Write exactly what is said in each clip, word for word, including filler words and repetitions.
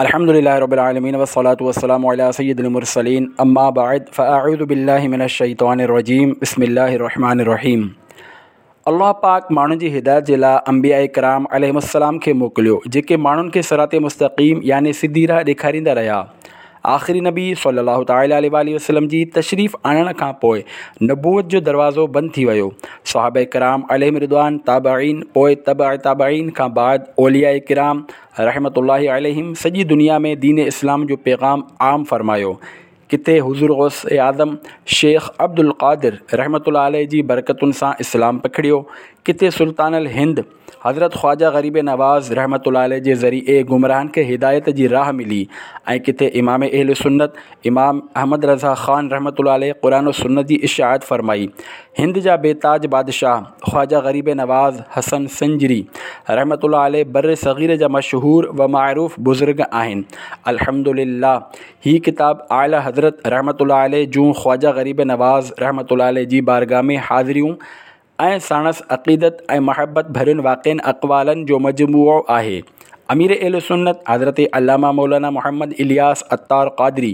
الحمد لله رب العالمين والصلاة والسلام على سيد المرسلين اما بعد فاعوذ بالله من الشيطان الرجيم بسم الله الرحمن الرحيم. الله پاڪ ماڻهن جي هدايت جي لاء انبياء ڪرام عليهم السلام کي موڪليو، جيڪي ماڻهن کي صراط مستقيم يعني سڌي راهه ڏيکاريندا رهيا. آخري نبي صلي الله تعالٰي عليه واٰله وسلم جي تشريف آڻڻ کان پوء نبوت جو دروازو بند ٿي ويو. صحابه ڪرام عليهم رضوان، تابعين، پوء تبع تابعين کان بعد اولياء ڪرام رحمة الله عليهم سڄي دنيا ۾ دين اسلام جو پيغام عام فرمايو. ڪٿي حضور غوث اعظم شيخ عبدالقادر رحمة الله عليه جي برڪتن سان اسلام پکڙيو، ڪٿي سلطان الهند حضرت خواجه غريب نواز رحمة الله عليه جي ذريعي گمراهن کي هدايت جي راهه ملي ۽ ڪٿي امام اهل سنت امام احمد رضا خان رحمة الله عليه قرآن و سنت جي اشاعت فرمائي. هند جا بي تاج بادشاهه خواجه غريب نواز حسن سنجري رحمة الله عليه بر صغير جا مشهور و معروف بزرگ آهن. الحمدلله هي ڪتاب اعليٰ حضرت رحمة الله عليه جون خواجه غريب نواز رحمة الله عليه جي بارگاهه ۾ حاضريون ۽ ساڻس عقيدت ۽ محبت ڀرين واقعن اقوالن جو مجموعو آهي. امير اهل سنت حضرت علامه مولانا محمد الياس عطار قادري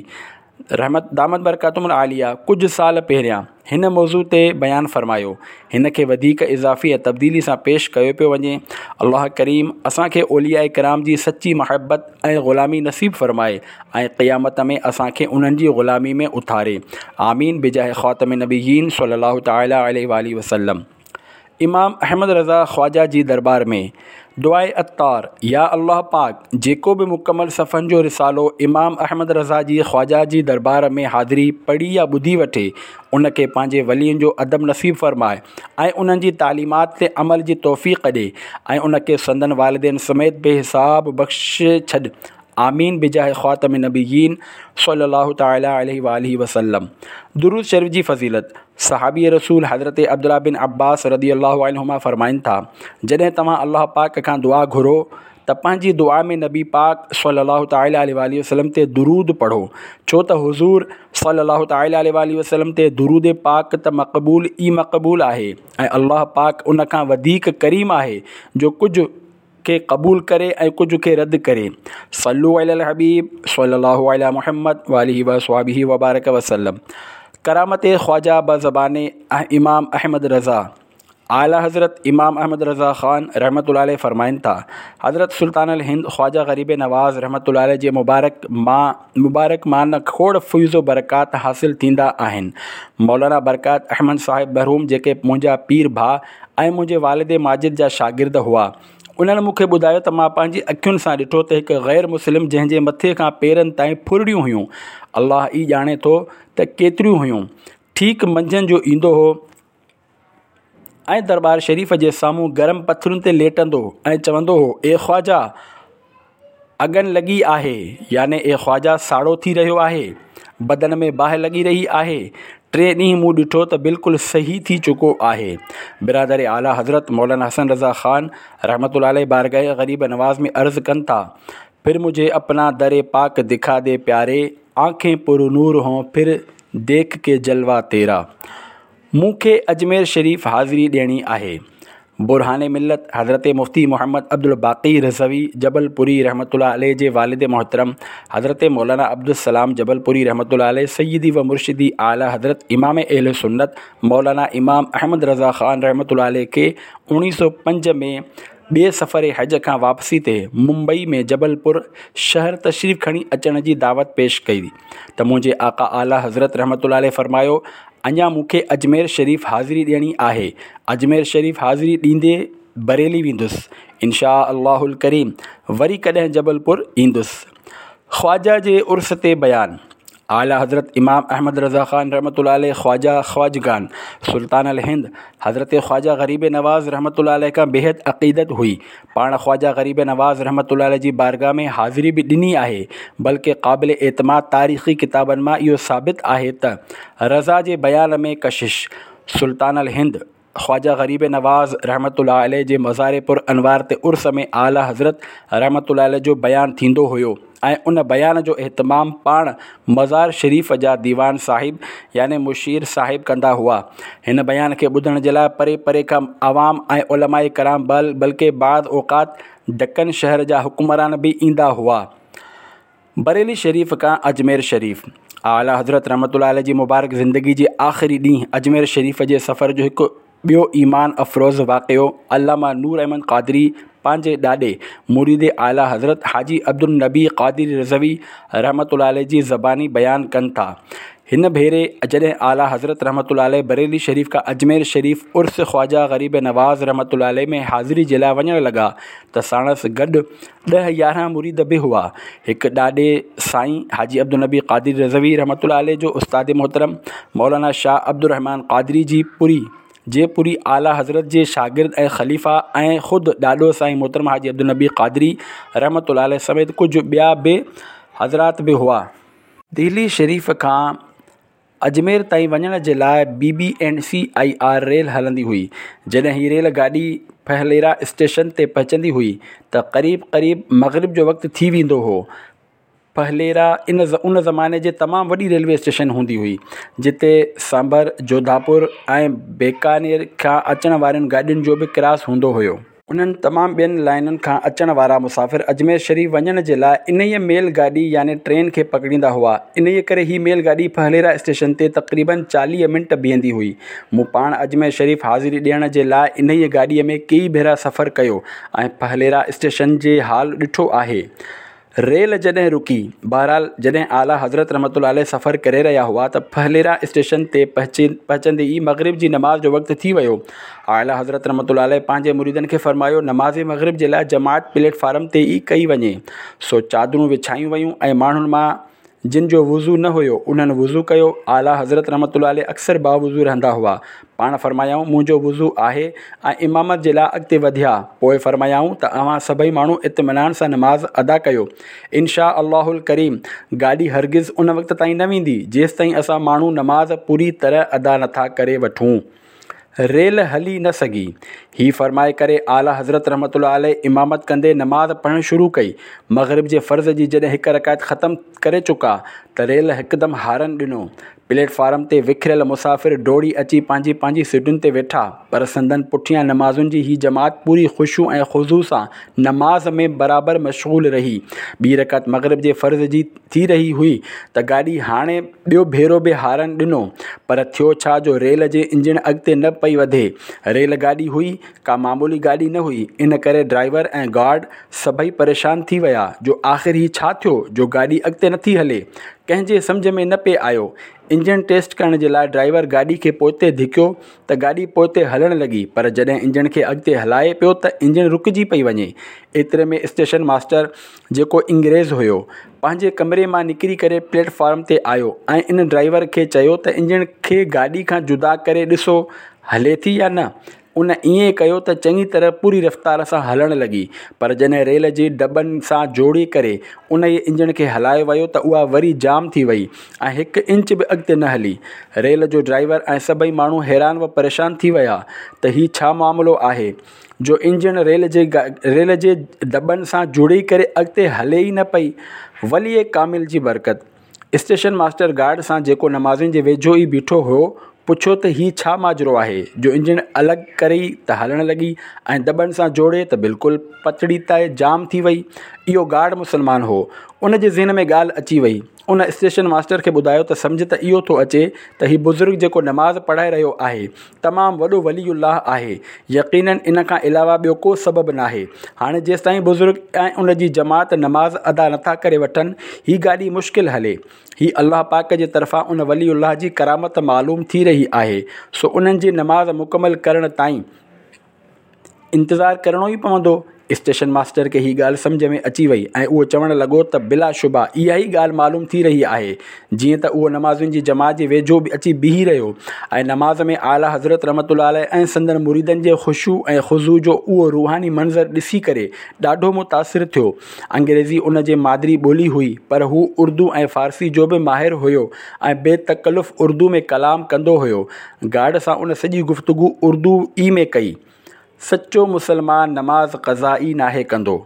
رحمت دامت برڪاتهم العاليه ڪجهه سال پهريان هن موضوع تي بيان فرمايو. هن کي وڌيڪ اضافي ۽ تبديلي سان پيش ڪيو پيو وڃي. الله ڪريم اسان کي اولياء ڪرام جي سچي محبت ۽ غلامي نصيب فرمائي ۽ قيامت ۾ اسان کي انهن جي غلامي ۾ اٿاري. آمين بجاه خاتم النبيين صلي الله تعالٰي عليه واٰله وسلم. امام احمد رضا خواجه جي دربار ۾ دعاء عطار، يا الله پاڪ جيڪو به مڪمل صفحن جو رسالو امام احمد رضا جي خواجه جي دربار ۾ حاضري پڙهي يا ٻڌي وٺي، ان کي پنهنجي ولين جو ادب نصيب فرماء ۽ انهن جي تعليمات تي عمل جي توفيق ڏي ۽ ان کي سندن والدين سميت بي حساب بخشي ڇڏ. آمين بجاه خاتم النبيين صلي الله تعالٰي عليه واٰله وسلم. درود شريف جي فضيلت، صحابي رسول حضرت عبدالله بن عباس رضي الله عنهما فرمائن ٿا، جڏهن توهان الله پاڪ کان دعا گهرو ته پنهنجي دعا ۾ نبي پاڪ صلي الله تعالٰي عليه واٰله وسلم تي درود پڙهو، ڇو ته حضور صلي الله تعالٰي عليه واٰله وسلم تي درود پاڪ ته مقبول ئي مقبول آهي ۽ الله پاڪ ان کان وڌيڪ ڪريم آهي جو ڪجهه کي قبول ڪري ۽ ڪجهه کي رد ڪري. صلو علی الحبيب صلي الله علی محمد واله وصحبه وبارڪ وسلم. ڪرامت خواجه بزبان امام احمد رضا. اعليٰ حضرت امام احمد رضا خان رحمة الله عليه فرمائن ٿا، حضرت سلطان الهند خواجه غريب نواز رحمة الله عليه جي مبارڪ مان مبارڪ مان کوڙ فيض و برڪات حاصل ٿيندا آهن. مولانا برڪات احمد صاحب مرحوم جيڪي منهنجا پير ڀاء ۽ منهنجي والد ماجد جا شاگرد هئا، انهن مون کي ٻڌايو ته مان پنهنجي اکين سان ڏٺو ته هڪ غير مسلم جنهن جي مٿي کان پيرن تائين ڦرڙيون هيون، الله ئي ڄاڻي ٿو ته ڪيتريون هيون، ٺيڪ منجهند جو ايندو هو ۽ درٻار شريف جي سامهون گرم پٿرن تي ليٽندو ۽ چوندو هو، اي خواجه! اگن لڳي آهي، يعني اي خواجه ساڙو ٿي رهيو آهي، بدن ۾ باهه لڳي رهي آهي. ٽئين ڏينهن مون ڏٺو ته بلڪل صحيح ٿي چڪو آهي. برادر اعليٰ حضرت مولانا حسن رضا خان رحمة الله عليه بارگاह غريب نواز ۾ عرض ڪن ٿا، پھر مجھي اپنا در پاڪ دکا the پياري، آنکين پر نور هون پھر ديک ڪي جلوه تيرا. مون کي اجمير شريف حاضري ڏيڻي آهي. برهان ملت حضرت مفتي محمد عبدالباقي رضوي جبلپوري رحمة الله عليه جي والد محترم حضرت مولانا عبدالسلام جبلپوري رحمة الله عليه سيدي و مرشدي اعليٰ حضرت امام اهل سنت مولانا امام احمد رضا خان رحمة الله عليه کي اوڻيهه سؤ پنج ۾ ٻئي سفر حج کان واپسي تي ممبئي ۾ جبلپور شهر تشريف کڻي اچڻ جي دعوت پيش ڪئي ته منهنجي آقا اعليٰ حضرت رحمة الله عليه فرمايو، اڃا مون کي اجمير شريف حاضري ڏيڻي آهي، اجمير شريف حاضري ڏيندي بريلي ويندس، انشاء الله الڪريم وري ڪڏهن جبلپور ايندس. خواجه جي عرس تي بيان، اعليٰ حضرت امام احمد رضا خان رحمة الله عليه خواجه خواجگان سلطان الهند حضرت خواجه غريب نواز رحمة الله عليه کان بيحد عقيدت هئي، پاڻ خواجه غريب نواز رحمة الله عليه جي بارگاهه ۾ حاضري به ڏني آهي، بلڪه قابل اعتماد تاريخي ڪتابن مان اهو ثابت آهي ته رضا جي بيان ۾ ڪشش سلطان الهند خواجه غريب نواز رحمة الله عليه جي مزار پر انوار تي عرس ۾ اعليٰ حضرت رحمة الله عليه جو بيان ٿيندو هيو ۽ ان بيان جو اهتمام پاڻ مزار شريف جا ديوان صاحب يعني مشير صاحب ڪندا هئا. هن بيان کي ٻڌڻ جي لاء پري پري کان عوام ۽ علماء ڪرام بلڪه بعض اوقات دکن شهر جا حڪمران به ايندا هئا. بريلي شريف کان اجمير شريف، اعليٰ حضرت رحمة الله عليه جي مبارڪ زندگي جي آخري ڏينهن اجمير شريف جي سفر جو هڪ ٻيو ايمان افروز واقعو علامه نور احمد قادري پنهنجي ڏاڏي مريد اعليٰ حضرت حاجي عبدالنبي قادري رضوي رحمة الله عليه جي زباني بيان ڪن ٿا. هن ڀيري جڏهن اعليٰ حضرت رحمة الله عليه بريلي شريف کان اجمير شريف عرس خواجه غريب نواز رحمة الله عليه ۾ حاضري جي لاء وڃڻ لڳا ته ساڻس گڏ ڏهه يارهن مريد به هئا. هڪ ڏاڏي سائين حاجي عبدالنبي قادري رضوي رحمة الله عليه جو استاد محترم مولانا شاهه عبدالرحمان قادري جي پوري جي پوري اعليٰ حضرت جي شاگرد ۽ خليفه ۽ خود ڏاڏو سائين محترم حاجي عبدالنبي قادري رحمة الله عليه سميت ڪجهه ٻيا به حضرات به هئا. دهلي شريف کان اجمير تائين وڃڻ جي لاء B B and C I R rail هلندي هئي. جڏهن هي ريل گاڏي ڦليرا اسٽيشن تي پهچندي هئي ته قريب قريب مغرب جو وقت ٿي ويندو هو. ڦليرا ان ان زماني جي تمام وڏي ريلوي اسٽيشن هوندي هئي، جتي سانڀر، جوڌاپور ۽ بيڪانير کان اچڻ وارين گاڏين جو به ڪراس هوندو هيو. انهن تمام ٻين لائينن کان اچڻ وارا مسافر اجمير شريف وڃڻ جي لاء انهيء ميل گاڏي يعني ٽرين کي پڪڙيندا هئا. انهيء ڪري هي ميل گاڏي ڦليرا اسٽيشن تي تقريباً چاليهه منٽ بيهندي هئي. مون پاڻ اجمير شريف حاضري ڏيڻ جي لاء انهيء گاڏيء ۾ ڪيئي ڀيرا سفر ڪيو ۽ ڦليرا اسٽيشن جي حال ڏٺو آهي. ريل جڏهن رڪي. بهرحال جڏهن اعليٰ حضرت رحمة الله عليه سفر ڪري رهيا هئا ته ڦليرا اسٽيشن تي پهچندي ئي مغرب جي نماز جو وقت ٿي ويو. اعليٰ حضرت رحمة الله عليه پنهنجي مريدن کي فرمايو، نماز مغرب جي لاء جماعت پليٽ فارم تي ئي ڪئي وڃي. سو چادرون وڇايون ويون ۽ ماڻهن مان جن جو وضو نه هيو انهن وضو ڪيو. اعليٰ حضرت رحمة الله عليه اڪثر باوضو رهندا هئا. پاڻ فرمايائون، منهنجو وضو آهي ۽ امامت جي لاء اڳتي وڌيا. پوء فرمايائون ته اوهان سڀئي ماڻهو اطمينان سان نماز ادا ڪيو. ان شاء الله الڪريم گاڏي هرگز ان وقت تائين نه ويندي جيستائين اسان ماڻهو نماز پوري طرح ادا نٿا ڪري وٺون. ريل هلي نه سگهي. هي فرمائي ڪري اعليٰ حضرت رحمة الله عليه امامت ڪندي نماز پڙهڻ شروع ڪئي. مغرب جي فرض جي جڏهن هڪ رڪعت ختم ڪري چڪا ته ريل هڪدم هارن ڏنو. پليٽ فارم تي وکريل مسافر ڊوڙي اچي پنهنجي پنهنجي سيٽن تي ويٺا، پر سندن پٺيان نمازين جي هي جماعت پوري خشوع ۽ خضوع سان نماز ۾ برابر مشغول رهي. ٻي رڪعت مغرب جي فرض جي ٿي رهي هئي ته گاڏي هاڻي ٻيو ڀيرو به هارن ڏنو، پر ٿيو ڇا جو ريل جي انجڻ اڳتي نه پئي وڌي. ريل گاڏي هئي، ڪا معمولي گاڏي نه هئي، ان ڪري ڊرائيور ۽ گارڊ سڀئي پريشان ٿي ويا جو آخر هي ڇا ٿيو جو گاڏي اڳتي نٿي هلي. ڪنهن جي سمجهه ۾ نه پئي آيو. انجڻ ٽيسٽ ڪرڻ جي لاء ڊرائيور گاڏي کي پوئتي ڌڪيو ته گاڏي پوئتي هلڻ لڳي، پر جڏهن انجڻ کي اڳتي هلائي پيو ته انجڻ رڪجي پئي وڃي. ايتري ۾ اسٽيشن ماسٽر جيڪو انگريز هيو، پنهنجي ڪمري مان نڪري ڪري پليٽ فارم تي آيو ۽ ان ڊرائيور کي چيو ته انجڻ کي گاڏي کان جدا ڪري ڏسو هلي ٿي يا نه. ان ائين ڪيو ته چڱي طرح پوري رفتار سان هلڻ لڳي، پر جڏهن ريل جي دٻن سان جوڙي ڪري انهيء انجڻ کي هلايو ويو ته اها وري جام ٿي وئي ۽ هڪ انچ به اڳتي نه هلي. ريل جو ڊرائيور ۽ سڀئي ماڻهو حيران و پريشان ٿي ويا ته هي ڇا معاملو آهي جو انجڻ ريل جي ريل جي دٻن سان جڙي ڪري اڳتي هلي ئي نه پئي. ولي ڪامل جي برڪت. اسٽيشن ماسٽر گارڊ سان جيڪو نمازين جي ويجهو ئي بيٺو هو پڇيو ته هي ڇا ماجرو آهي جو انجڻ الڳ ڪري ته هلڻ لڳي ۽ دٻن سان جوڙي ته بلڪل پٽڙي تي جام ٿي وئي. اهو گارڊ مسلمان هو. ان جي ذهن ۾ ڳالهه اچي وئي. ان اسٽيشن ماسٽر کي ٻڌايو ته سمجهه ته اهو ٿو اچي ته هي بزرگ جيڪو نماز پڙهائي رهيو آهي تمام وڏو ولي الله آهي. يقينن ان کان علاوه ٻيو ڪو سبب ناهي. هاڻي جيستائين بزرگ ۽ ان جي جماعت نماز ادا نٿا ڪري وٺن هي گاڏي مشڪل هلي. هي الله پاڪ جي طرفان ان ولي الله جي ڪرامت معلوم ٿي رهي آهي سو انهن جي نماز مڪمل ڪرڻ تائين انتظار ڪرڻو ئي پوندو. اسٽيشن ماسٽر کي هي ڳالهه سمجهه ۾ اچي وئي ۽ اهو چوڻ لڳو ته بلا شبه اها ئي ڳالهه معلوم ٿي رهي آهي. جيئن ته اهو نمازين جي جماعت جي ويجهو به اچي بيهي رهيو ۽ نماز ۾ اعليٰ حضرت رحمة الله عليه ۽ سندن مريدن جي خشوع ۽ خضوع جو اهو روحاني منظر ڏسي ڪري ڏاڍو متاثر ٿيو. انگريزي ان جي مادري ٻولي هئي پر هو اردو ۽ فارسي جو به ماهر هيو ۽ بي تڪلف اردو ۾ ڪلام ڪندو هيو. گارڊ سان ان سڄي گفتگو اردو ئي ۾ ڪئي. سچو مسلمان نماز قضا ئي ناهي ڪندو.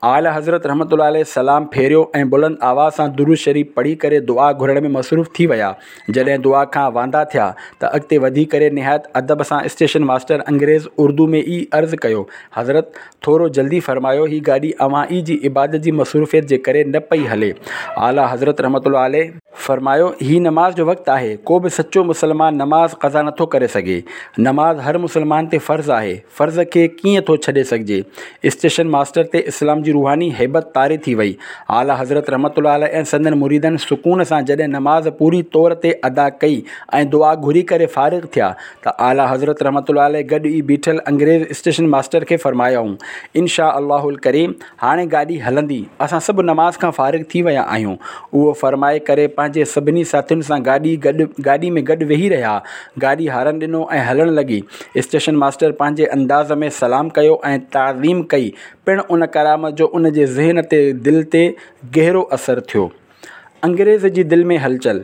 اعليٰ حضرت رحمة الله عليه سلام ڦيريو ۽ بلند آواز سان درود شريف پڙهي ڪري دعا گهرڻ ۾ مصروف ٿي ويا. جڏهن دعا کان واندا ٿيا ته اڳتي وڌي ڪري نهايت ادب سان اسٽيشن ماسٽر انگريز اردو ۾ ئي عرض ڪيو، حضرت! ٿورو جلدي فرمايو، هي گاڏي اوهان ئي جي عبادت جي مصروفيت جي ڪري نه پئي هلي. اعليٰ حضرت رحمة الله عليه. فرمايو، هي نماز جو وقت آهي، ڪو به سچو مسلمان نماز قضا نٿو ڪري سگهي. نماز هر مسلمان تي فرض آهي، فرض کي ڪيئن ٿو ڇڏي سگهجي؟ اسٽيشن ماسٽر تي اسلام جي روحاني هيبت طاري ٿي وئي. اعليٰ حضرت رحمة الله عليه ۽ سندن مريدن سڪون سان جڏهن نماز پوري طور تي ادا ڪئي ۽ دعا گهري ڪري فارغ ٿيا ته اعليٰ حضرت رحمة الله عليه گڏ ئي بيٺل انگريز اسٽيشن ماسٽر کي فرمايائون، ان شاء الله الڪريم هاڻي گاڏي هلندي، اسان سڀ نماز کان فارغ ٿي ويا آهيون. اهو فرمائي ڪري پنهنجي سڀني ساٿين سان گاڏي گڏ گاڏي ۾ گڏ ويهي رهيا. گاڏي هارن ڏنو ۽ هلڻ لڳي. اسٽيشن ماسٽر پنهنجي انداز ۾ سلام ڪيو ۽ تعظيم ڪئي پڻ ان ڪرامت جو ان جي ذهن تي دل تي گهرو اثر ٿيو. انگريز جي دل ۾ هلچل.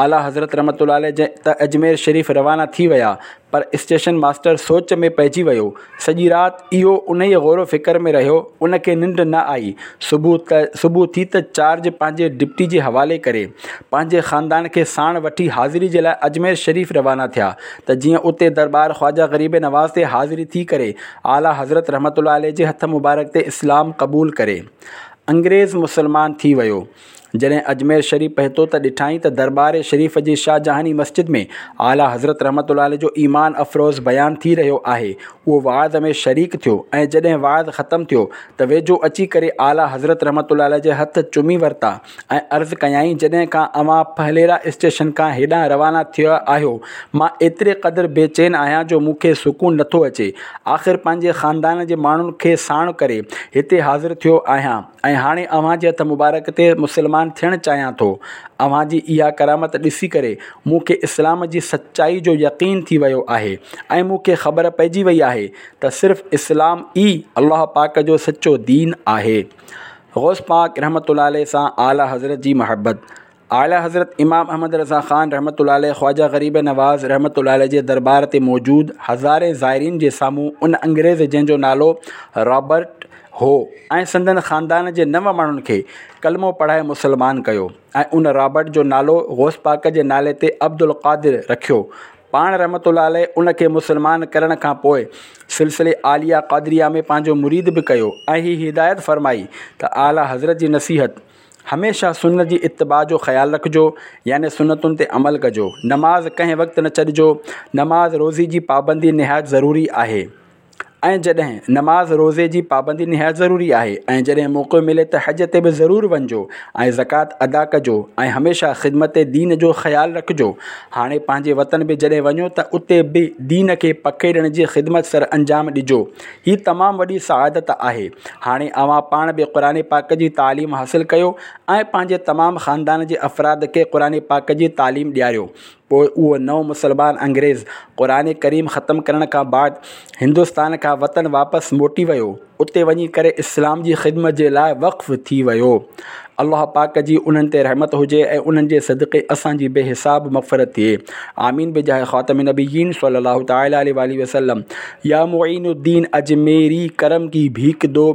اعليٰ حضرت رحمة الله عليه ته اجمير شريف روانا ٿي ويا پر اسٽيشن ماسٽر سوچ ۾ پئجي ويو. سڄي رات اهو انهيء غور و فڪر ۾ رهيو. ان کي ننڊ نه آئي. صبح ته صبح ٿي ته چارج پنهنجي ڊپٽي جي حوالي ڪري، پنهنجي خاندان کي ساڻ وٺي حاضري جي لاء اجمير شريف روانا ٿيا ته جيئن اتي درٻار خواجه غريب نواز تي حاضري ٿي ڪري اعليٰ حضرت رحمة الله عليه جي هٿ مبارڪ تي اسلام قبول ڪري. انگريز مسلمان ٿي ويو. جڏهن اجمير شريف پهتو ته ڏٺائين ته درٻار شريف جي شاهجهاني مسجد ۾ اعليٰ حضرت رحمة الله عليه جو ايمان افروز بيان ٿي رهيو آهي. اهو وعظ ۾ شريڪ ٿيو ۽ جڏهن وعظ ختم ٿيو ته ويجهو اچي ڪري اعليٰ حضرت رحمة الله عليه جي هٿ چمي ورتا ۽ عرض ڪيائين جڏهن کان اوهان ڦليرا اسٽيشن کان هيڏانهن روانا ٿيا آهيو مان ايتري قدر بي چين آهيان جو مون کي سڪون نٿو اچي آخر پنهنجي خاندان جي ماڻهن کي ساڻ ڪري هتي حاضر ٿيو آهيان. ۽ هاڻي اوهان جي هٿ مبارڪ تي مسلمان ٿيڻ چاهيان ٿو. اوهان جي اها ڪرامت ڏسي ڪري مون کي اسلام جي سچائي جو يقين ٿي ويو آهي ۽ مون کي خبر پئجي وئي آهي ته صرف اسلام ئي الله پاڪ جو سچو دين آهي. غوث پاڪ رحمة الله عليه سان اعليٰ حضرت جي محبت. اعليٰ حضرت امام احمد رضا خان رحمة الله عليه خواجه غريب نواز رحمة الله عليه جي درٻار تي موجود هزارين زائرين جي سامهون ان انگريز جنهن جو نالو رابرٽ هو ۽ سندن خاندان جي نو ماڻهن کي ڪلمو پڙهائي مسلمان ڪيو ۽ ان رابرٽ جو نالو غوث پاڪ جي نالي تي عبدالقادر رکيو. پاڻ رحمة الله عليه ان کي مسلمان ڪرڻ کان پوء سلسلي عاليه قادريه ۾ پنهنجو مريد به ڪيو ۽ هي هدايت فرمائي ته اعليٰ حضرت جي نصيحت هميشه سنت جي اتباع جو خيال رکجو يعني سنتن تي عمل ڪجو، نماز ڪنهن وقت نه ڇڏجو، نماز روزي جي پابندي نهايت ضروري آهي ۽ جڏهن نماز روزي جي پابندي نهايت ضروري آهي ۽ جڏهن موقعو ملي ته حج تي به ضرور وڃجو ۽ زڪوات ادا ڪجو ۽ هميشه خدمت دين جو خيال رکجو. هاڻي پنهنجي وطن به جڏهن وڃو ته اتي به دين کي پکيڙڻ جي خدمت سر انجام ڏجو. هي تمام وڏي سعادت آهي. هاڻي اوهان پاڻ به قرآن پاڪ جي تعليم حاصل ڪيو ۽ پنهنجي تمام خاندان جي افراد کي قرآن پاڪ جي تعليم ڏياريو. پوء اهو نئون مسلمان انگريز قرآن ڪريم ختم ڪرڻ کان بعد هندستان کان وطن واپس موٽي ويو. اتي وڃي ڪري اسلام جي خدمت جي لاء وقف ٿي ويو. الله پاڪ جي انهن تي رحمت هجي ۽ انهن جي صدقي اسان جي بي حساب مغفرت ٿئي. آمين بجاه خاتم النبيين صلي الله تعالي عليه واله وسلم. يا معين الدين اجميري ڪرم ڪي ڀيڪ دو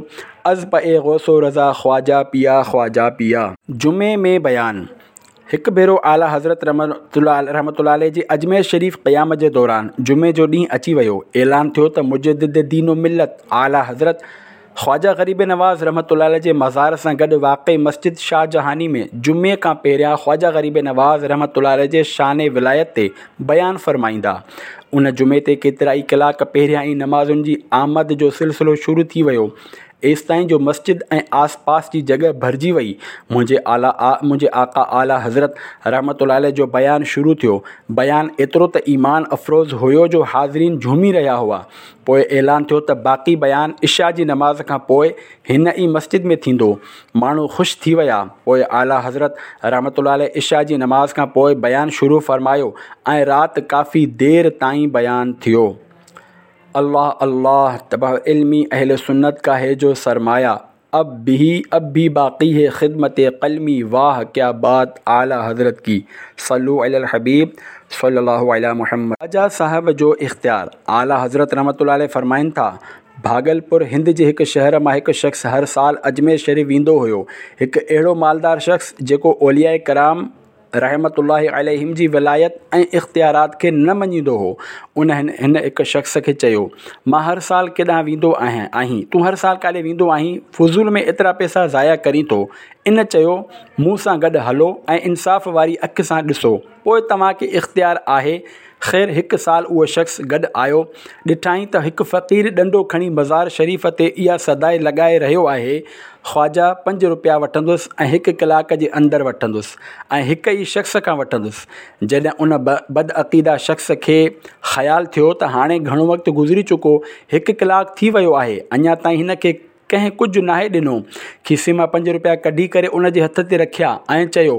از پئي غوث و رضا خواجه پيا خواجه پيا. جمعي ۾ بيان. هڪ ڀيرو اعليٰ حضرت رحمة الله عليه جي اجمير شريف قيام جي دوران جمعي جو ڏينهن اچي ويو. اعلان ٿيو ته مجدد دين و ملت اعليٰ حضرت خواجه غريب نواز رحمة الله عليه جي مزار سان گڏ واقع مسجد شاهجهاني ۾ جمعي کان پهريان خواجه غريب نواز رحمة الله عليه جي شان ولايت تي بيان فرمائيندا. ان جمعي تي ڪيترائي ڪلاڪ پهريان ئي نمازين جي آمد جو سلسلو شروع ٿي ويو. ايستائين جو مسجد ۽ آس پاس جي جڳهه ڀرجي وئي. منهنجي اعليٰ منهنجي آقا اعليٰ حضرت رحمة الله عليه جو بيان شروع ٿيو. بيان ايترو ته ايمان افروز هيو جو حاضرين جهومي رهيا هئا. پوء اعلان ٿيو ته باقي بيان عشاء جي نماز کان پوء هن ئي مسجد ۾ ٿيندو. ماڻهو خوش ٿي ويا. پوء اعليٰ حضرت رحمة الله عليه عشاء جي نماز کان پوء بيان شروع فرمايو ۽ رات ڪافي دير تائين بيان ٿيو. الله الله تبه علمي اهل سنت کا هي جو سرمايه اب به اب ڀي باقي هي خدمت قلمي واه ڪيا بات اعليٰ حضرت ڪي صلو علي الحبيب صلي الله علي محمد. خواجه صاحب جو اختيار، اعليٰ حضرت رحمة الله عليه فرمائن ٿا، ڀاڳلپور هند جي هڪ شهر مان هڪ شخص هر سال اجمير شريف ويندو هيو. هڪ اهڙو مالدار شخص جيڪو اولياء ڪرام رحمة الله عليهم جي ولايت ۽ اختيارات کي نه مڃيندو هو. ان هن هڪ شخص کي چيو، مان هر سال ڪيڏانهن ويندو آهيان آهين تون هر سال ڪاڏي ويندو آهين، فضول ۾ ايترا پئسا ضايع ڪرين ٿو. ان چيو، مون سان گڏ هلو ۽ انصاف واري اک سان ڏسو، پوء توهان کي اختيار آهي. خير هڪ سال اهو شخص گڏ آيو، ڏٺائين ته هڪ فقير ڏنڊو کڻي مزار شريف تي اها صداء لڳائي رهيو آهي، خواجه پنج روپيا وٺندس ۽ هڪ ڪلاڪ جي اندر وٺندس ۽ هڪ ئي شخص کان وٺندس. جڏهن ان بدعقيده شخص کي خيال ٿيو ته هاڻي گهڻو وقت گذري چڪو، هڪ ڪلاڪ ٿي ويو آهي، اڃا تائين هن کي ڪنهن ڪجهه ناهي ڏنو. کيسي مان پنج روپيا ڪڍي ڪري ان جي هٿ تي رکيا ۽ چيو،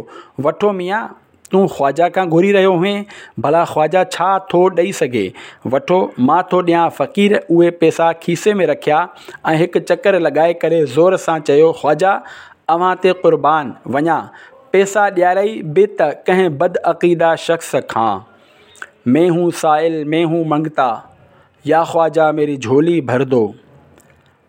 وٺو ميان، تون خواجه کان گهري رهيو هئين، ڀلا خواجه ڇا ٿو ڏئي سگهي؟ وٺو، مان ٿو ڏيان. فقير اهي پئسا کيسي ۾ رکيا ۽ هڪ چڪر لڳائي ڪري زور سان چيو، خواجه اوهان تي قربان وڃان، پئسا ڏيارئي به ته ڪنهن بدعقيده شخص کان. مين هون سائل مين هون منگتا، يا خواجه ميري جهولي ڀر دو.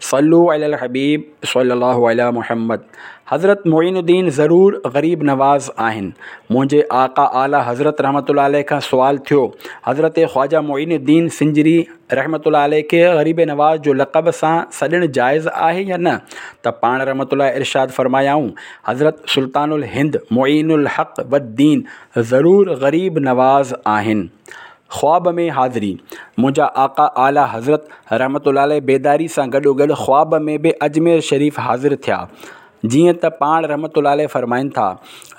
صلو علی الحبيب صلي الله علي محمد. حضرت معين الدين ضرور غريب نواز آهن. منهنجي آقا اعليٰ حضرت رحمة الله عليه کان سوال ٿيو، حضرت خواجه معين الدين سنجري رحمة الله عليه کي غريب نواز جو لقب سان سڏڻ جائز آهي يا نه؟ ته پاڻ رحمة الله ارشاد فرمايائون، حضرت سلطان الهند معين الحق والدين ضرور غريب نواز آهن. خواب ۾ حاضري، منهنجا آقا اعليٰ حضرت رحمة الله عليه بيداري سان گڏوگڏ خواب ۾ به اجمير شريف حاضر ٿيا. جيئن ته پاڻ رحمة الله عليه فرمائن ٿا،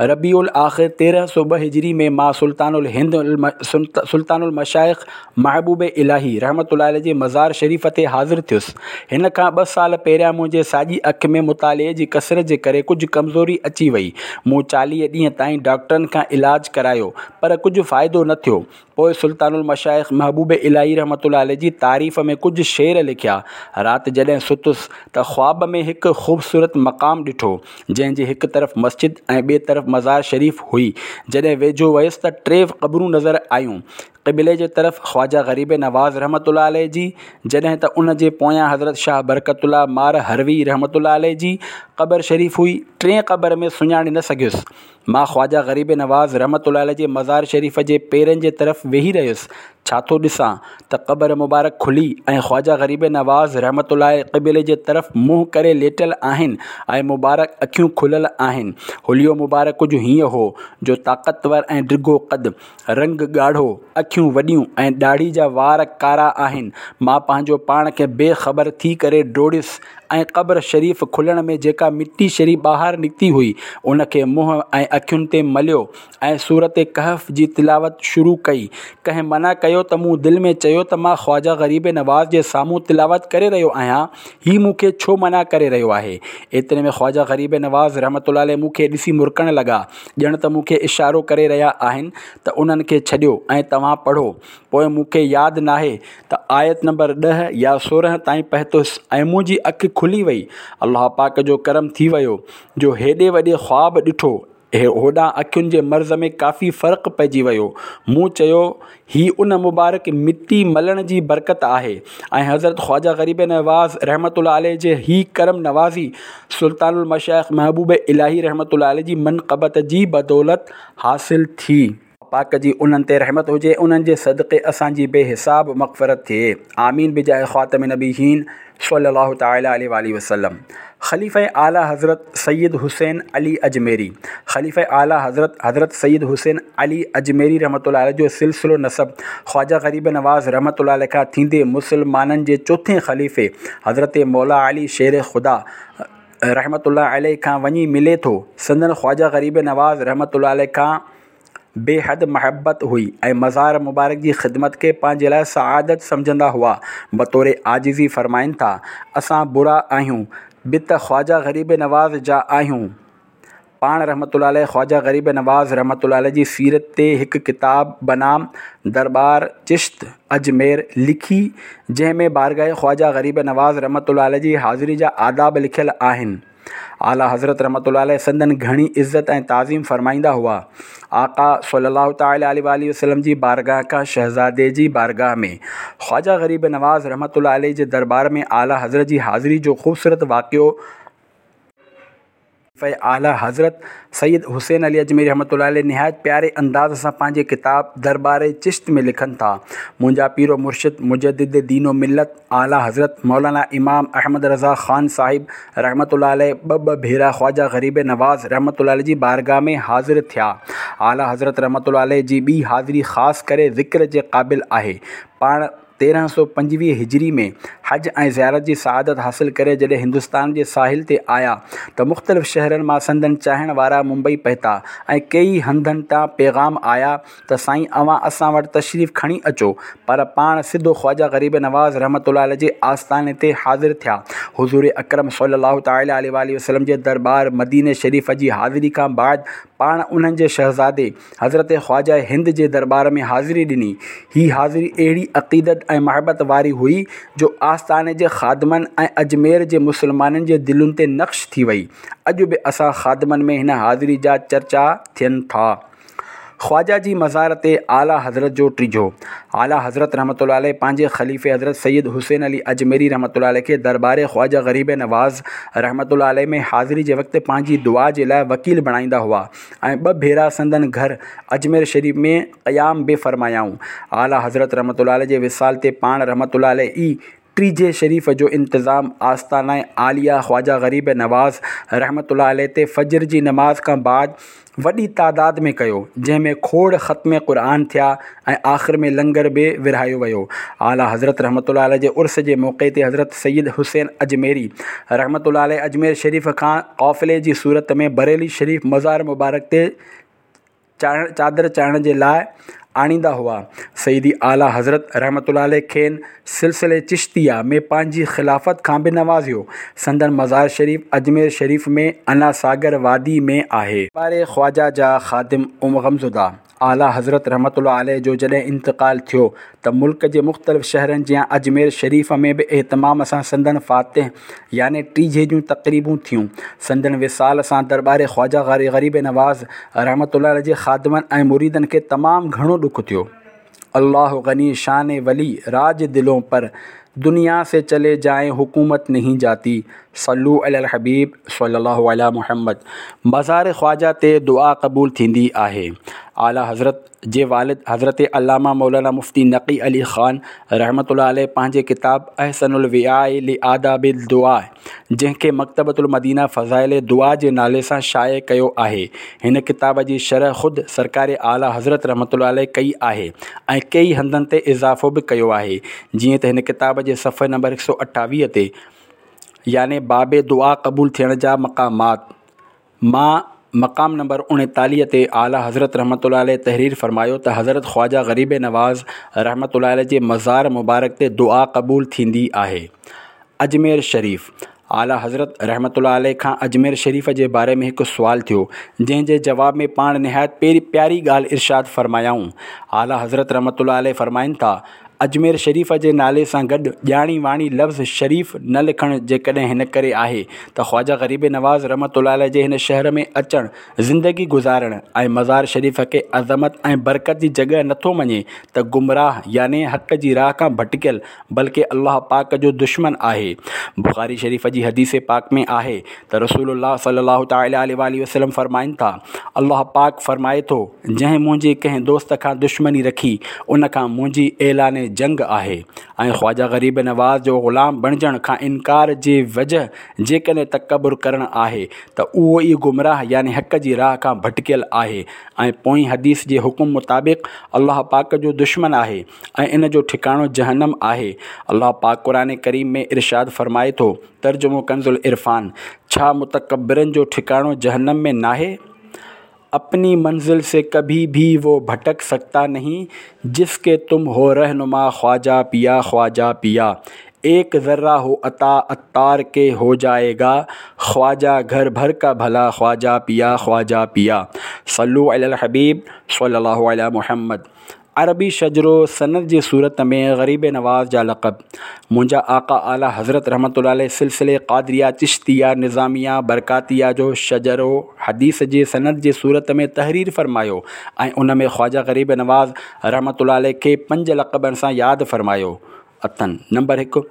ربيع الاخر تيرهن سؤ ٻه هجري ۾ مان سلطان الهند سلطان المشائخ محبوب الاهي رحمة الله عليه جي مزار شريف تي حاضر ٿيس. هن کان ٻه سال پهريان منهنجي ساڄي اک ۾ مطالعي جي ڪثرت جي ڪري ڪجهه ڪمزوري اچي وئي. مون چاليهه ڏينهن تائين ڊاڪٽرن کان علاج ڪرايو پر ڪجهه فائدو نه ٿيو. پوء سلطان المشائخ محبوب الاهي رحمة الله عليه جي تعريف ۾ ڪجهه شعر لکيا. رات جڏهن ستس ته خواب ۾ هڪ خوبصورت مقام ڏٺو، جنهن جي هڪ طرف مسجد ۽ ٻئي طرف مزار شريف هئي. جڏهن ويجهو ويس ته ٽي قبرون نظر آيون. قبلي جي طرف خواجه غريب نواز رحمة الله عليه جي، جڏهن ته ان جي پويان حضرت شاهه برڪت الله مار هروي رحمة الله عليه جي قبر شريف هئي. ٽين قبر ۾ سڃاڻي نه سگهيس. مان خواجه غريب نواز رحمة الله عليه جي مزار شريف جي پيرن جي طرف ويهي رهيس، ڇا ٿو ڏسان ته قبر مبارڪ کلي ۽ خواجه غريب نواز رحمة الله عليه قبلي جي طرف منهن ڪري ليٽيل آهن ۽ مبارڪ اکيون کليل آهن. حليو مبارڪ ڪجهه هيئن هو جو طاقتور ۽ ڊگهو قد، رنگ ڳاڙهو، اکيون وڏيون ۽ ڏاڙهي جا وار ڪارا آهن. مان پنهنجو پاڻ کي بي خبر ٿي ڪري ڊوڙيس ۽ قبر شريف کلڻ ۾ جيڪا مٽي شريف ٻاهر نڪتي هئي، ان کي منهن ۽ اکين تي مليو ۽ سورة ڪهف جي تلاوت شروع ڪئي. ڪنهن منع ڪيو ته مون دل ۾ چيو ته مان خواجه غريب نواز جي سامهون تلاوت ڪري رهيو آهيان، هي مون کي ڇو منع ڪري رهيو آهي؟ ايتري ۾ خواجه غريب نواز رحمة الله عليه مون کي ڏسي مرڪڻ لڳا، ڄڻ ته مون کي اشارو ڪري رهيا آهن ته انهن کي ڇڏيو ۽ توهان پڙهو. پوء مون کي ياد ناهي ته آيت نمبر ڏهه يا سورهن تائين پهتس ۽ منهنجي اک کلي وئي. الله پاڪ جو ڪرم ٿي ويو جو هيڏي وڏي خواب ڏٺو. هوڏانهن اکين جي مرض ۾ ڪافي فرق پئجي ويو. مون چيو هي ان مبارڪ مٽي ملڻ جي برڪت آهي ۽ حضرت خواجه غريب نواز رحمة الله عليه جي هي ڪرم نوازي سلطان المشائخ محبوب الاهي رحمة الله عليه جي منقبت جي بدولت حاصل ٿي. پاڪ جي انهن تي رحمت هجي، انهن جي صدقي اسان جي بي حساب مغفرت ٿئي، آمين بجاه خاتم النبيين صلي الله تعالي عليه واٰله وسلم. خليفه اعليٰ حضرت سيد حسين علي اجميري خليفه اعليٰ حضرت حضرت سيد حسين علي اجميري رحمة الله عليه جو سلسلو نسب خواجه غريب نواز رحمة الله عليه کان ٿيندي مسلمانن جي چوٿين خليفي حضرت مولا علي شير خدا رحمة الله عليه کان وڃي ملي ٿو. سندن خواجه غريب نواز رحمة الله عليه کان بي حد محبت هئي ۽ مزار مبارڪ جي خدمت کي پنهنجي لاء سعادت سمجهندا هئا. بطور عاجزي فرمائن ٿا، اسان برا آهيون به ته خواجه غريب نواز جا آهيون. پاڻ رحمة الله عليه خواجه غريب نواز رحمة الله عليه جي سيرت تي هڪ ڪتاب بنام درٻار چشت اجمير لکي جنهن ۾ بارگاهه خواجه غريب نواز رحمة الله عليه جي حاضري جا آداب لکيل آهن. اعليٰ حضرت رحمة الله عليه سندن گهڻي عزت ۽ تعظيم فرمائيندا هئا. آقا صلي الله تعالٰي عليه واٰله وسلم جي بارگاهه کان شهزادي جي بارگاهه ۾ خواجه غريب نواز رحمة الله عليه جي دربار ۾ اعليٰ حضرت جي حاضري جو خوبصورت واقعو اعليٰ حضرت سيد حسين علي اجميري رحمة الله عليه نهايت پياري انداز سان پنهنجي ڪتاب دربار چشت ۾ لکن ٿا، منهنجا پير و مرشد مجدد دين و ملت اعليٰ حضرت مولانا امام احمد رضا خان صاحب رحمة الله عليه ٻه ٻه ڀيرا خواجه غريب نواز رحمة الله عليه جي بارگاهه ۾ حاضر ٿيا. اعليٰ حضرت رحمة الله عليه جي ٻي حاضري خاص ڪري ذڪر جي قابل آهي. پاڻ تيرهن سؤ پنجويهه هجري ۾ حج ۽ زيارت جي سعادت حاصل ڪري جڏهن هندستان جي ساحل تي آيا ته مختلف شهرن مان سندن چاهڻ وارا ممبئي پهتا ۽ ڪيئي هنڌن تان پيغام آيا ته سائين اوهان اسان وٽ تشريف کڻي اچو پر پاڻ سڌو خواجه غريب نواز رحمة الله عليه جي آستاني تي حاضر ٿيا. حضور اڪرم صلي الله تعالٰي عليه واٰله وسلم جي درٻار مديني شريف جي حاضري کان بعد پاڻ انهن جي شهزادي حضرت خواجه هند جي درٻار ۾ حاضري ڏني. هي حاضري اهڙي عقيدت ۽ محبت واري هئي جو آستاني جي خادمن ۽ اجمير جي مسلمانن جي دلين تي نقش ٿي وئي. اڄ به اسان خادمن ۾ هن حاضري جا چرچا ٿين ٿا. خواجه جي مزار تي اعليٰ حضرت جو ٽيجهو. اعليٰ حضرت رحمة الله عليه پنهنجي خليفي حضرت سيد حسين علي اجميري رحمة الله عليه کي درٻار خواجه غريب نواز رحمة الله عليه ۾ حاضري جي وقت پنهنجي دعا جي لاء وڪيل بڻائيندا هئا. ۽ ٻه ڀيرا سندن گهر اجمير شريف ۾ قيام به فرمايائون. اعليٰ حضرت رحمة الله عليه جي وصال تي پاڻ رحمة الله عليه ئي ٽيجهي شريف جو انتظام آستانه عاليه خواجه غريب نواز رحمة الله عليه تي فجر جي نماز کان بعد وڏي تعداد ۾ ڪيو، جنهن ۾ کوڙ ختم قرآن ٿيا ۽ آخر ۾ لنگر به ورهايو ويو. اعليٰ حضرت رحمة الله عليه جي عرس جي موقعي تي حضرت سيد حسين اجميري رحمة الله عليه اجمير شريف کان قافلي جي صورت ۾ بريلي شريف مزار مبارڪ تي چادر چاڙهڻ جي لاء آڻيندا هئا. سيدي اعليٰ حضرت رحمة الله عليه کين سلسلي چشتيه ۾ پنهنجي خلافت کان به نوازيو. سندن مزار شريف اجمير شريف ۾ انا ساگر وادي ۾ آهي. درٻار خواجه جا خادم غمزده اعليٰ حضرت رحمة الله عليه جو جڏهن انتقال ٿيو ته ملڪ جي مختلف شهرن جيان اجمير شريف ۾ به اهتمام سان سندن فاتح يعني ٽيجهي جون تقريبون ٿيون. سندن وصال سان درٻار خواجه غريب نواز رحمة الله عليه جي خادمن ۽ مريدن کي تمام گهڻو ڏک ٿيو. الله غني شان ولي راج دلون پر دنيا سي چلي جائين حڪومت نهين جاتي صلو علي الحبيب صلي الله علي محمد مزار خواجه تي دعا قبول ٿيندي آهي. اعليٰ حضرت جي والد حضرت علامه مولانا مفتي نقي علي خان رحمة الله عليه پنهنجي ڪتاب احسن الوعاء لآداب الدعاء جنهن کي مڪتبة المدينه فضائل دعا جي نالي سان شايع ڪيو آهي. هن ڪتاب جي شرح خود سرڪار اعليٰ حضرت رحمة الله عليه ڪئي آهي ۽ ڪيئي هنڌن تي اضافو به ڪيو آهي. جيئن ته هن ڪتاب جي صفحي نمبر هڪ سؤ اٺاويهه تي يعني باب دعا قبول ٿيڻ جا مقامات مان مقام نمبر اڻيتاليهه تي اعليٰ حضرت رحمة الله عليه تحرير فرمايو ته حضرت خواجه غريب نواز رحمة الله عليه جي مزار مبارڪ تي دعا قبول ٿيندي آهي. اجمير شريف، اعليٰ حضرت رحمة الله عليه کان اجمير شريف جي باري ۾ هڪ سوال ٿيو، جنهن جي جواب ۾ پاڻ نهايت پياري ڳالهه ارشاد فرمايائون. اعليٰ حضرت رحمة الله عليه فرمائن ٿا، اجمير شريف جي نالي سان گڏ ڄاڻي واڻي لفظ شريف نه لکڻ جيڪڏهن هن ڪري آهي ته خواجه غريب نواز رحمة الله عليه جي هن شهر ۾ اچڻ، زندگي گذارڻ ۽ مزار شريف کي عظمت ۽ برڪت جي جڳهه نٿو مڃي ته گمراهه يعني حق جي راهه کان ڀٽڪيل بلڪه الله پاڪ جو دشمن آهي. بخاري شريف جي حديث پاڪ ۾ آهي ته رسول الله صلي الله تعالٰي عليه واٰله وسلم فرمائن ٿا، الله پاڪ فرمائي ٿو، جنهن منهنجي ڪنهن دوست کان دشمني رکي، ان کان منهنجي اعلان جنگ آهي ۽ خواجه غريب نواز جو غلام بڻجڻ کان انڪار جي وجه جيڪڏهن تڪبر ڪرڻ آهي ته اهو ئي گمراهه يعني حق جي راهه کان ڀٽڪيل آهي ۽ پوئين حديث جي حڪم مطابق الله پاڪ جو دشمن آهي ۽ ان جو ٺڪاڻو جهنم آهي. الله پاڪ قرآن ڪريم ۾ ارشاد فرمائي ٿو، ترجمو ڪنزالعرفان، ڇا متڪبرن جو ٺڪاڻو جهنم ۾ ناهي؟ اپني منزل سي ڪڀي ڀي وو ڀٽڪ سڪتا نهين، جس ڪي تم هو رهنما خواجه پيا خواجه پيا، ايڪ ذره هو عطا عطار ڪي هو جائي گا، خواجه گهر ڀر ڪا ڀلا خواجه پيا خواجه پيا. صلو علي الحبيب صلي الله علي محمد. عربي شجرو سند جي صورت ۾ غريب نواز جا لقب. منهنجا آقا اعليٰ حضرت رحمة الله عليه سلسلي قادريه چشتيه نظاميه برڪاتيه جو شجرو حديث جي سند جي صورت ۾ تحرير فرمايو ۽ ان ۾ خواجه غريب نواز رحمة الله عليه کي پنج لقبن سان ياد فرمايو اٿن. نمبر هڪ،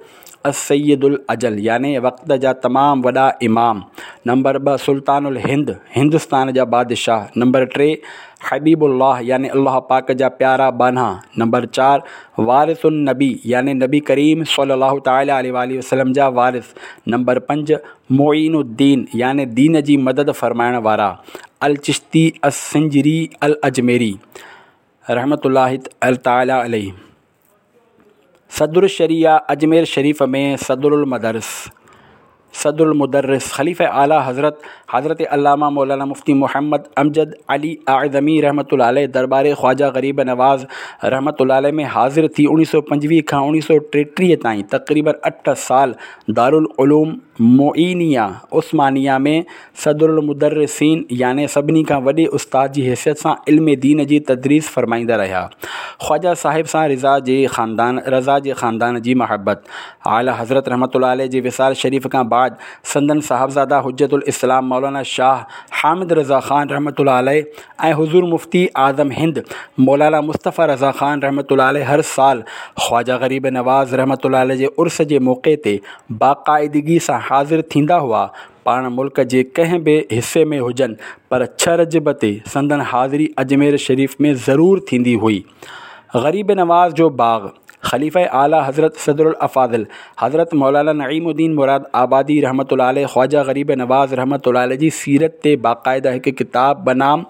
السيد الاجل يعني وقت جا تمام وڏا امام. نمبر ٻه، سلطان الهند، هندستان جا بادشاهه. نمبر ٽي، حبيب الله يعني الله پاڪ جا پيارا ٻانها. نمبر چار، وارث النبي يعني نبي ڪريم صلي الله تعالٰي عليه واٰله وسلم جا وارث. نمبر پنج، معين الدين يعني دين جي مدد فرمائڻ وارا. الچشتي السنجري الاجميري رحمة الله تعالٰي عليه. صدر الشريعه اجمير شريف ۾ صدر المدرس صدر المدرس خليفه اعليٰ حضرت حضرت علامه مولانا مفتي محمد امجد علي اعظمي رحمة الله عليه درٻار خواجه غريب نواز رحمة الله عليه ۾ حاضر ٿي اوڻيهه سؤ پنجويهه کان اوڻيهه سؤ ٽيٽيهه تائين تقريباً اٺ سال دارالعلوم معينيه عثمانيه ۾ صدر المدرسين يعني سڀني کان وڏي استاد جي حيثيت سان علم دين جي تدريس فرمائيندا رهيا. خواجه صاحب سان رضا جي خاندان رضا جي خاندان جي محبت. اعليٰ حضرت رحمة الله عليه جي وصال شريف کان بعد سندن صاحبزاده حجة الاسلام مولانا شاهه حامد رضا خان رحمة الله عليه ۽ حضور مفتي اعظم هند مولانا مصطفيٰ رضا خان رحمة الله عليه هر سال خواجه غريب نواز رحمة الله عليه جي عرس جي موقعي تي باقاعدگي سان حاضر ٿيندا هئا. پاڻ ملڪ جي ڪنهن به حصي ۾ هجن پر ڇهه رجب تي سندن حاضري اجمير شريف ۾ ضرور ٿيندي هئي. غريب نواز جو باغ، خليفه اعليٰ حضرت صدر الافاضل حضرت مولانا نعيم الدين مراد آبادي رحمة الله عليه خواجه غريب نواز رحمة الله عليه جي سيرت تي باقاعده هڪ ڪتاب بنام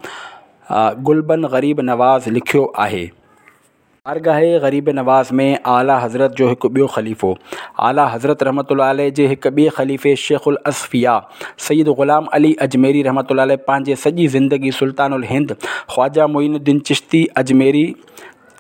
گلبن غريب نواز لکيو آهي. بارگاهه غريب نواز ۾ اعليٰ حضرت جو هڪ ٻيو خليفو اعليٰ حضرت رحمة الله عليه جي هڪ ٻئي خليفي شيخ الاصفياء سيد غلام علي اجميري رحمة الله عليه پنهنجي سڄي زندگي سلطان الهند خواجه معين الدين چشتي اجميري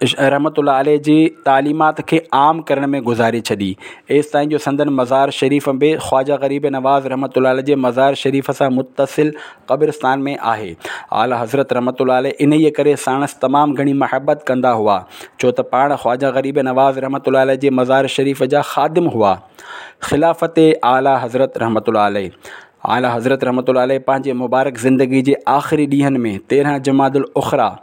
رحمة الله عليه جي تعليمات کي عام ڪرڻ ۾ گذاري ڇڏي، ايستائين جو سندن مزار شريف به خواجه غريب نواز رحمة الله عليه جي مزار شريف سان متصل قبرستان ۾ آهي. اعليٰ حضرت رحمة الله عليه انهيء ڪري ساڻس تمام گهڻي محبت ڪندا هئا، ڇو ته پاڻ خواجه غريب نواز رحمة الله عليه جي مزار شريف جا خادم هئا. خلافت اعليٰ حضرت رحمة الله عليه اعليٰ حضرت رحمة الله عليه پنهنجي مبارڪ زندگي جي آخري ڏينهن ۾ تيرهن جمادي الاخريٰ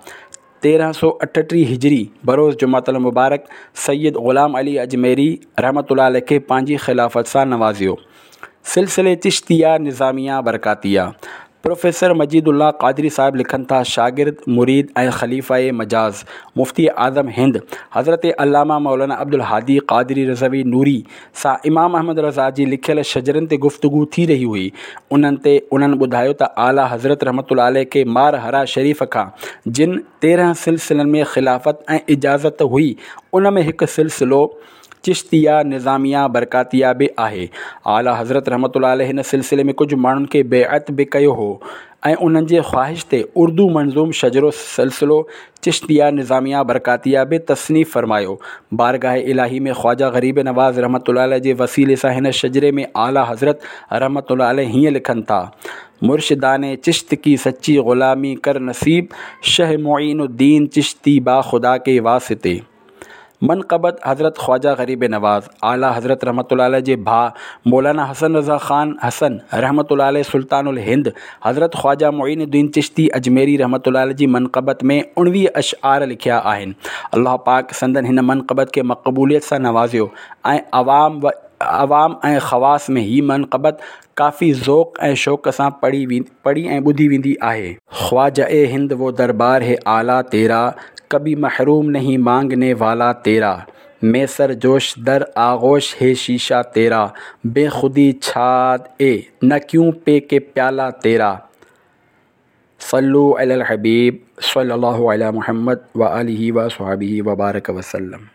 تيرهن سؤ اٺٽيهه هجري بروز جمعة المبارڪ سيد غلام علي اجميري رحمة الله عليه کي پنهنجي خلافت سان نوازيو. سلسلي چشتيه نظاميه برڪاتيه پروفيسر مجيد الله قادري صاحب لکن ٿا، شاگرد، مريد ۽ خليفه مجاز مفتي اعظم هند حضرت علامه مولانا عبدالهادي قادري رضوي نوري سان امام احمد رضا جي لکيل شجرن تي گفتگو ٿي رهي هئي. انهن تي انهن ٻڌايو ته اعليٰ حضرت رحمة الله عليه کي مار حرا شريف کان جن تيرهن سلسلن ۾ خلافت ۽ اجازت هئي ان ۾ هڪ سلسلو چشتيه نظاميه برڪاتيه به آهي. اعليٰ حضرت رحمة الله عليه هن سلسلي ۾ ڪجهه ماڻهن کي بيعت به ڪيو هو ۽ انهن جي خواهش تي اردو منظوم شجرو سلسلو چشتيه نظاميه برڪاتيه به تصنيف فرمايو. بارگاهه الاهي ۾ خواجه غريب نواز رحمة الله عليه جي وسيلي سان هن شجري ۾ اعليٰ حضرت رحمة الله عليه هيئن لکن ٿا، مرشدان چشت ڪي سچي غلامي ڪر نصيب، شه معين الدين چشتي با خدا ڪي واسطي. منقبت حضرت خواجه غريب نواز، اعليٰ حضرت رحمة الله عليه جي ڀاء مولانا حسن رضا خان حسن رحمة الله عليه سلطان الهند حضرت خواجه معين الدين چشتي اجميري رحمة الله عليه جي منقبت ۾ اڻويهه اشعار لکيا آهن. الله پاڪ سندن هن منقبت کي مقبوليت سان نوازيو ۽ عوام و عوام ۽ خواص ۾ هي منقبت ڪافي ذوق ۽ شوق سان پڙهي پڙهي ۽ ٻڌي ويندي آهي. خواجه هند وو دربار هي اعليٰ تيرا، ڪڀي محروم نهين مانگني والا تيرا، مين سر جوش در آغوش هي شيشه تيرا، بي خودي ڇاد اي نه ڪيون پي ڪي پيالا تيرا. صلو علي الحبيب صلي الله علي محمد وآله وصحبه وبارڪ وسلم.